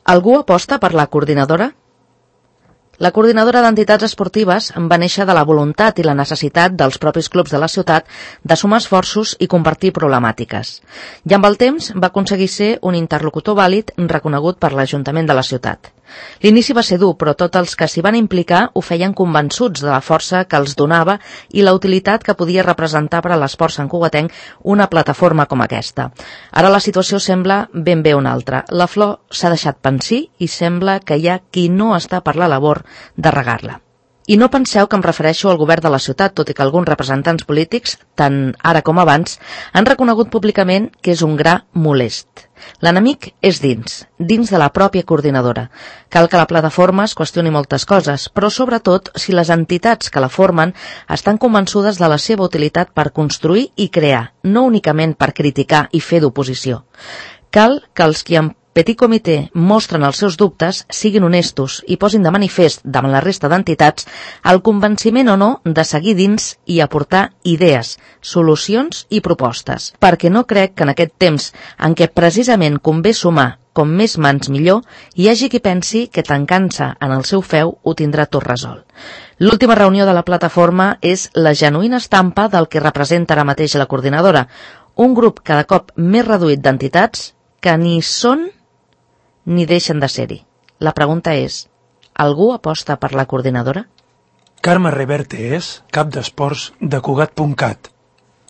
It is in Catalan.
Algú aposta per la coordinadora? La coordinadora d'entitats esportives va néixer de la voluntat i la necessitat dels propis clubs de la ciutat de sumar esforços i compartir problemàtiques. I amb el temps va aconseguir ser un interlocutor vàlid reconegut per l'Ajuntament de la ciutat. L'inici va ser dur, però tots els que s'hi van implicar ho feien convençuts de la força que els donava i la utilitat que podia representar per a l'esport santcugatenc una plataforma com aquesta. Ara la situació sembla ben bé una altra. La flor s'ha deixat pansir i sembla que hi ha qui no està per la labor de regar-la. I no penseu que em refereixo al govern de la ciutat, tot i que alguns representants polítics, tant ara com abans, han reconegut públicament que és un gra molest. L'enemic és dins de la pròpia coordinadora. Cal que la plataforma es qüestioni moltes coses, però sobretot si les entitats que la formen estan convençudes de la seva utilitat per construir i crear, no únicament per criticar i fer d'oposició. Cal que els qui en petit comitè mostren els seus dubtes, siguin honestos i posin de manifest davant la resta d'entitats el convenciment o no de seguir dins i aportar idees, solucions i propostes, perquè no crec que en aquest temps en què precisament convé sumar com més mans millor, hi hagi qui pensi que tancant-se en el seu feu ho tindrà tot resolt. L'última reunió de la plataforma és la genuïna estampa del que representa ara mateix la coordinadora, un grup cada cop més reduït d'entitats que ni són ni deixen de ser-hi. La pregunta és, algú aposta per la coordinadora? Carme Reverte és cap d'esports de Cugat.cat.